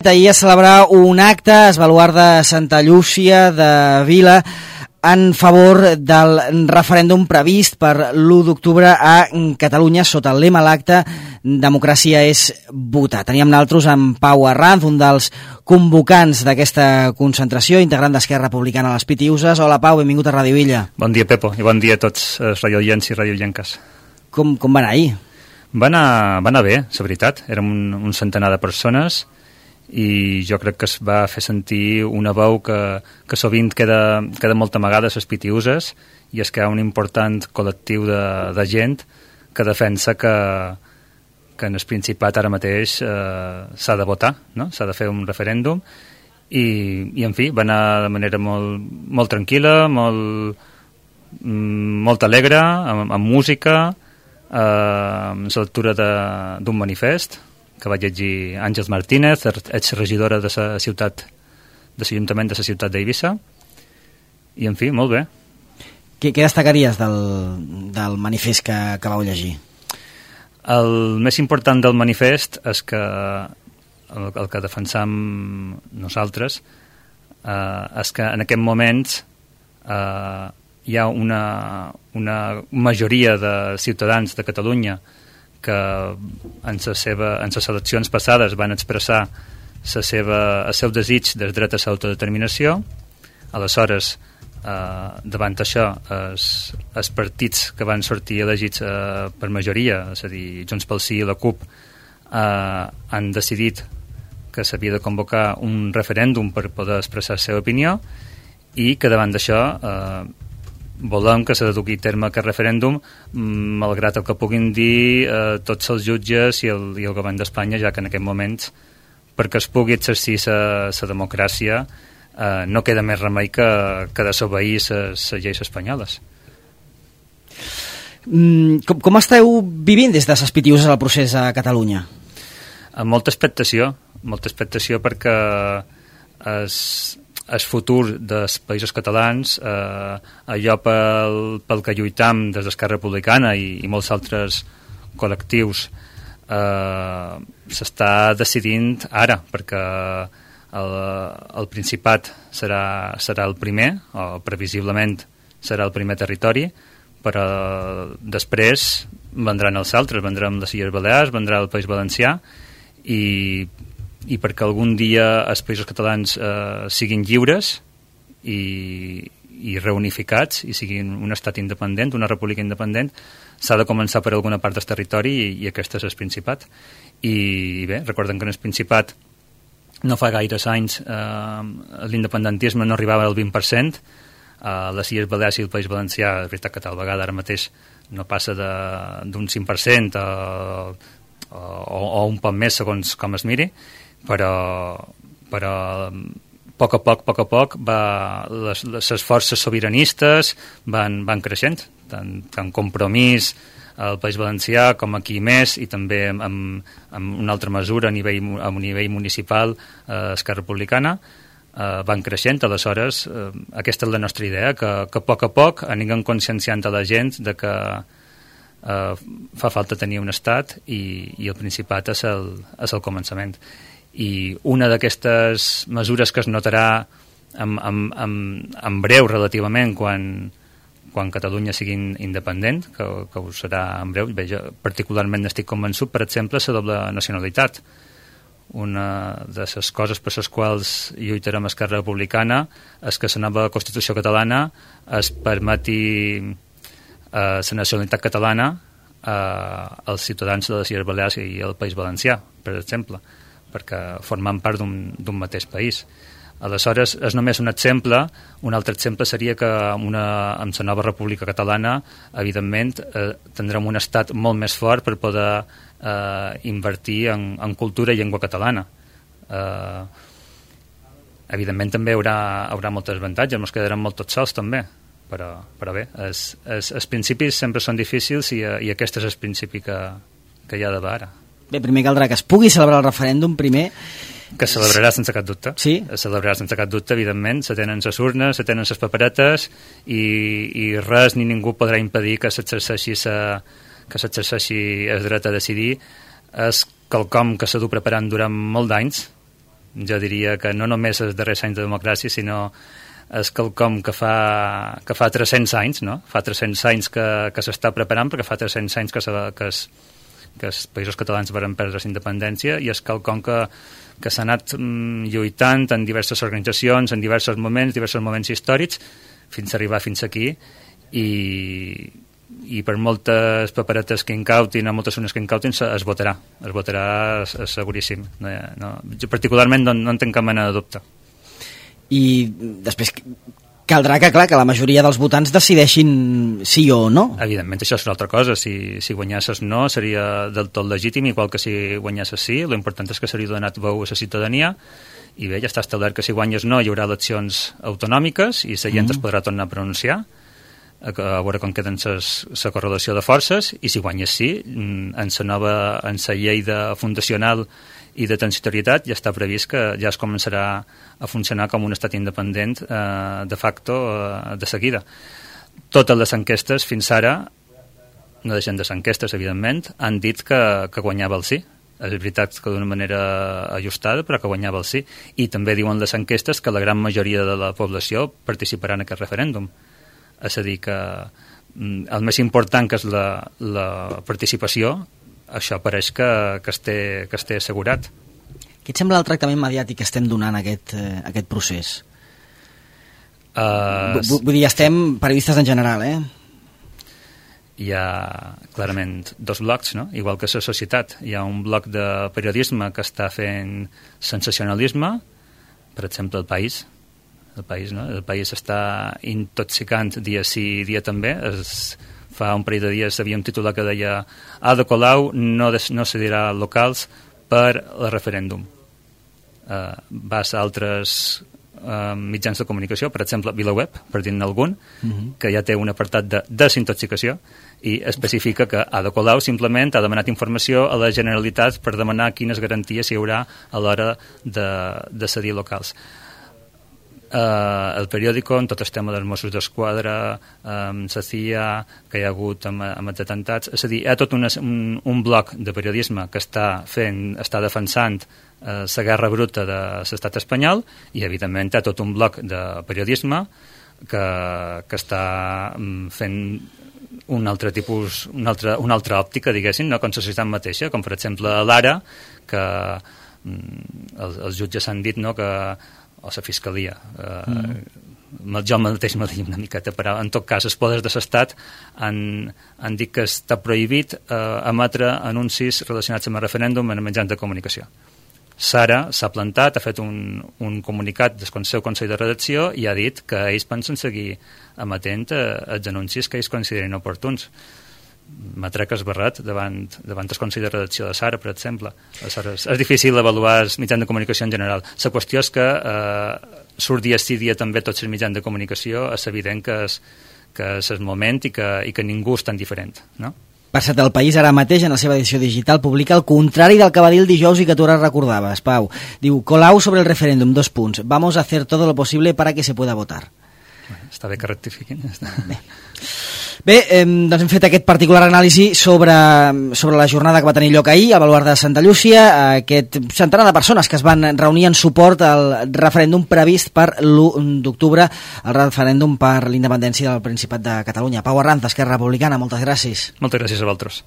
Ahir es celebrar un acte a Esbaluar de Santa Llúcia de Vila en favor del referèndum previst per l'1 d'octubre a Catalunya sota el lema l'acte Democràcia és votar. Teníem nosaltres amb Pau Arranz, un dels convocants d'aquesta concentració, integrant d'Esquerra Republicana a les Pitiuses. Hola Pau, benvingut a Ràdio Illa. Bon dia Pepo i bon dia a tots els radioients i radioienques. Com va anar ahir? Va anar bé, la veritat. Érem un centenar de persones i jo crec que es va fer sentir una veu que sovint queda molt amagada a les Pitiuses, i és que hi ha un important col·lectiu de gent que defensa que en el Principat ara mateix s'ha de votar, no? S'ha de fer un referèndum i en fi, va anar de manera molt tranquil·la, molt alegre, amb música, amb la lectura d'un manifest que va llegir Àngels Martínez, exregidora de la ciutat, de l'Ajuntament de la ciutat d'Eivissa, i en fi, molt bé. Què destacaries del manifest que vau llegir? El més important del manifest és que el que defensam nosaltres és que en aquest moment hi ha una majoria de ciutadans de Catalunya que en les eleccions passades van expressar el seu desig del dret a l'autodeterminació. Aleshores, davant això, els partits que van sortir elegits per majoria, és a dir, Junts pel Sí i la CUP, han decidit que s'havia de convocar un referèndum per poder expressar la seva opinió, i que davant d'això volem que se duqui a terme aquest referèndum, malgrat el que puguin dir tots els jutges i el govern d'Espanya, ja que en aquest moment, perquè es pugui exercir la democràcia, no queda més remei que desobeir les lleis espanyoles. Com esteu vivint des de les Pitiuses el procés a Catalunya? Amb molta expectació perquè el futur dels països catalans, allò pel que lluitam des d'Esquerra Republicana i molts altres col·lectius, s'està decidint ara, perquè el Principat serà el primer, o previsiblement serà el primer territori, però després vendran els altres, vendran les Illes Balears, vendrà el País Valencià, i perquè algun dia els països catalans siguin lliures i reunificats i siguin un estat independent, una república independent, s'ha de començar per alguna part del territori, i aquest és el Principat. I bé, recordem que en el Principat no fa gaires anys l'independentisme no arribava al 20%, a les Illes Balears i el País Valencià, és veritat que tal vegada ara mateix no passa d'un 5% o un poc més segons com es miri, però a poc les forces sobiranistes van creixent, tant Compromís al País Valencià com aquí més, i també amb una altra mesura a nivell municipal, Esquerra Republicana, van creixent. Aleshores, aquesta és la nostra idea, que a poc anirem conscienciant a la gent de que fa falta tenir un estat, i el Principat és el començament. I una d'aquestes mesures que es notarà en breu relativament quan Catalunya sigui independent, que ho serà en breu, jo particularment estic convençut, per exemple, la doble nacionalitat. Una de les coses per les quals lluitarem a Esquerra Republicana és que la nova Constitució catalana es permeti la nacionalitat catalana als ciutadans de les Illes Balears i el País Valencià, per exemple, perquè formem part d'un mateix país. Aleshores, és només un exemple. Un altre exemple seria que amb la nova República Catalana, evidentment, tindrem un estat molt més fort per poder invertir en cultura i llengua catalana. Evidentment també hi haurà molts avantatges, ens quedarem molt tots sols també, però bé, els principis sempre són difícils, i aquest és el principi que hi ha d'haver ara. Bé, primer caldrà que es pugui celebrar el referèndum, primer. Que es celebrarà sense cap dubte. Sí? Es celebrarà sense cap dubte, evidentment. Se tenen les urnes, se tenen les paperetes, i res ni ningú podrà impedir que s'exerceixi el dret a decidir. És quelcom que s'ha dut preparant durant molt d'anys, Jo diria que no només els darrers anys de democràcia, sinó és quelcom que fa 300 anys, no? Fa 300 anys que s'està preparant, perquè fa 300 anys que els països catalans van perdre la independència, i és quelcom que s'ha anat lluitant en diverses organitzacions, en diversos moments històrics, fins a arribar fins aquí, i per moltes paperetes que incautin, o moltes unes que incautin, es votarà seguríssim. Jo particularment no en tinc cap mena de dubte. I després caldrà que, clar, que la majoria dels votants decideixin sí o no. Evidentment, això és una altra cosa. Si guanyasses no, seria del tot legítim, igual que si guanyasses sí. L'important és que s'hauria donat veu a la ciutadania, i bé, ja està establert que si guanyes no hi haurà eleccions autonòmiques i la gent es podrà tornar a pronunciar, a veure com queden la correlació de forces, i si guanyes sí, en la llei fundacional i de transitorietat ja està previst que ja es començarà a funcionar com un estat independent de facto de seguida. Totes les enquestes fins ara, no deixen de ser enquestes evidentment, han dit que guanyava el sí. És veritat que d'una manera ajustada, però que guanyava el sí. I també diuen les enquestes que la gran majoria de la població participarà en aquest referèndum. És a dir, que el més important, que és la participació, això pareix que es té assegurat. Què et sembla el tractament mediàtic que estem donant a aquest procés? Vull dir, estem periodistes en general, Hi ha clarament dos blocs, no? Igual que la societat. Hi ha un bloc de periodisme que està fent sensacionalisme, per exemple, El País. El País està intoxicant dia sí, dia també. Fa un parell de dies havia un titular que deia Ada Colau no cedirà locals per el referèndum. Vas a altres mitjans de comunicació, per exemple VilaWeb, per dir-ne algun, que ja té un apartat de desintoxicació i especifica que Ada Colau simplement ha demanat informació a la Generalitat per demanar quines garanties hi haurà a l'hora de cedir locals. El periòdico, en tot el tema dels Mossos d'Esquadra, la CIA, que hi ha hagut amb els atemptats, és a dir, hi ha tot un bloc de periodisme que està defensant la guerra bruta de l'estat espanyol, i evidentment hi ha tot un bloc de periodisme que està fent una altra òptica, diguéssim, no? Com la societat mateixa, com per exemple l'Ara, que els jutges han dit, no?, o la fiscalia, jo mateix me deia una miqueta, però en tot cas els poders de l'Estat han dit que està prohibit emetre anuncis relacionats amb el referèndum en mitjans de comunicació. Sara s'ha plantat, ha fet un comunicat del seu Consell de Redacció i ha dit que ells pensen seguir emetent els anuncis que ells consideren oportuns. M'ha trec esbarrat davant el Consell de Redacció de Sara, per exemple. Aleshores, és difícil avaluar els mitjans de comunicació en general. La qüestió és que surt dia sí dia també tots els mitjans de comunicació, és evident que és el moment i que ningú és tan diferent, no? Per cert, El País ara mateix, en la seva edició digital, publica el contrari del que va dir el dijous i que tu ara recordaves, Pau. Diu, Colau sobre el referéndum, : vamos a hacer todo lo posible para que se pueda votar. Està bé que rectifiquin. Bé, doncs hem fet aquest particular anàlisi sobre la jornada que va tenir lloc ahir al Baluard de Santa Llúcia, aquest centenar de persones que es van reunir en suport al referèndum previst per l'1 d'octubre, el referèndum per l'independència del Principat de Catalunya. Pau Arranz, Esquerra Republicana, moltes gràcies. Moltes gràcies a vosaltres.